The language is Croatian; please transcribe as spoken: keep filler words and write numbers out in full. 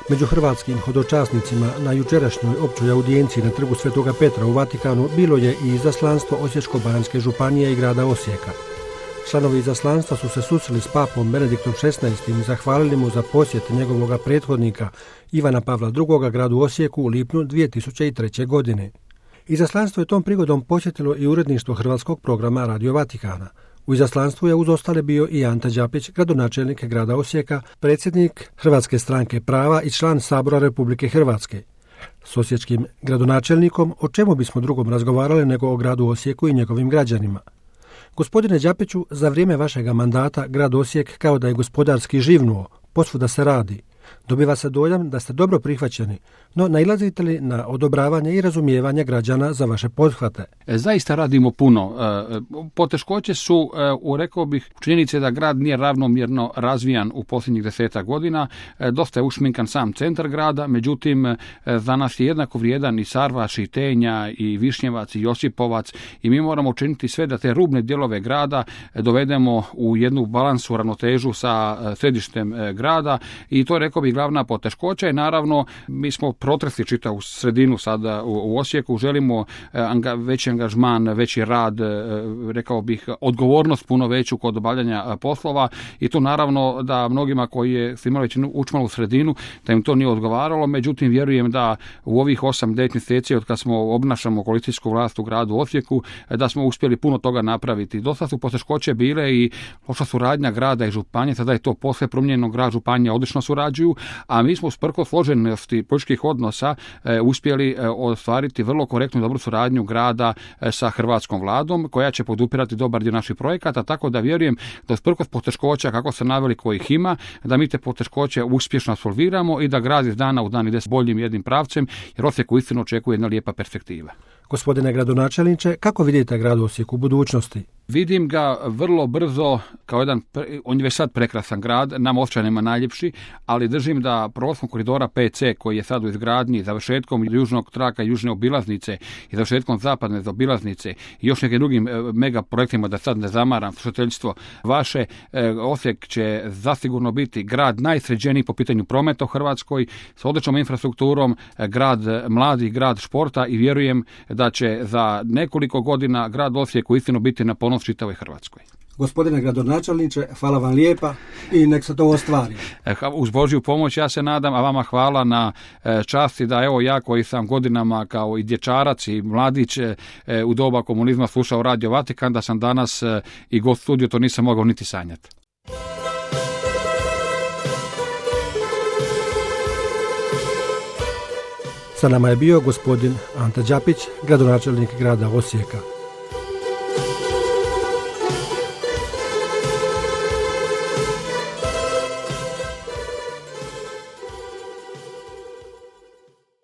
Među hrvatskim hodočasnicima na jučerašnjoj općoj audijenciji na trgu Svetoga Petra u Vatikanu bilo je i izaslanstvo Osječko-baranjske županije i grada Osijeka. Članovi izaslanstva su se susreli s papom Benediktom šesnaestim i zahvalili mu za posjet njegovoga prethodnika Ivana Pavla drugoga gradu Osijeku u lipnju dvije tisuće treće. godine. Izaslanstvo je tom prigodom posjetilo i uredništvo hrvatskog programa Radio Vatikana. U izaslanstvu je uz ostale bio i Ante Đapić, gradonačelnik grada Osijeka, predsjednik Hrvatske stranke prava i član Sabora Republike Hrvatske. S osječkim gradonačelnikom o čemu bismo drugom razgovarali nego o gradu Osijeku i njegovim građanima. Gospodine Đapiću, za vrijeme vašega mandata grad Osijek kao da je gospodarski živnuo, posvuda se radi. Dobiva se dojam da ste dobro prihvaćeni, no nailazite li na odobravanje i razumijevanje građana za vaše pothvate? Zaista radimo puno. Poteškoće su, rekao bih, činjenice da grad nije ravnomjerno razvijan u posljednjih deseta godina. Dosta je ušminkan sam centar grada, međutim za nas je jednako vrijedan i Sarvaš, i Tenja, i Višnjevac, i Josipovac, i mi moramo učiniti sve da te rubne dijelove grada dovedemo u jednu balansu, ravnotežu sa središtem grada, i to je, rekao bih, glavna poteškoća. I naravno, mi smo protresli čitavu sredinu sada u, u Osijeku, želimo anga, veći angažman, veći rad, rekao bih, odgovornost puno veću kod obavljanja poslova, i tu naravno da mnogima koji je imali već učmalu sredinu, da im to nije odgovaralo, međutim vjerujem da u ovih osam devet mjeseci od kad smo obnašamo koalicijsku vlast u gradu Osijeku, da smo uspjeli puno toga napraviti. Dosta su poteškoće bile i loša suradnja grada i županije, sada je to posve promijenjeno, grad, županija odlično surađuju, a mi smo usprkos složenosti političkih odnosa e, uspjeli e, ostvariti vrlo korektnu i dobru suradnju grada e, sa hrvatskom vladom, koja će podupirati dobar dio naših projekata, tako da vjerujem da usprkos poteškoća, kako se naveli, kojih ima, da mi te poteškoće uspješno absolviramo i da grad iz dana u dan ide s boljim jednim pravcem, jer Osijek uistinu očekuje jedna lijepa perspektiva. Gospodine gradonačelniče, kako vidite grad Osijek u budućnosti? Vidim ga vrlo brzo kao jedan, on je već sad prekrasan grad, nam Osječanima najljepši, ali držim da prolaskom koridora P C koji je sad u izgradnji, završetkom južnog traka, južne obilaznice i završetkom zapadne obilaznice i još nekim drugim mega projektima, da sad ne zamaram slušateljstvo vaše, Osijek će zasigurno biti grad najsređeniji po pitanju prometa u Hrvatskoj, s odličnom infrastrukturom, grad mladih, grad športa, i vjerujem da će za nekoliko godina grad Osijek uistinu biti na ponos čitavoj Hrvatskoj. Gospodine gradonačelniče, hvala vam lijepa i nek se to ostvari. Uz Božju pomoć, ja se nadam, a vama hvala na časti da evo ja koji sam godinama kao i dječarac i mladić u doba komunizma slušao Radio Vatikan, da sam danas i gost studio, to nisam mogao niti sanjati. Sa nama je bio gospodin Ante Đapić, gradonačelnik grada Osijeka.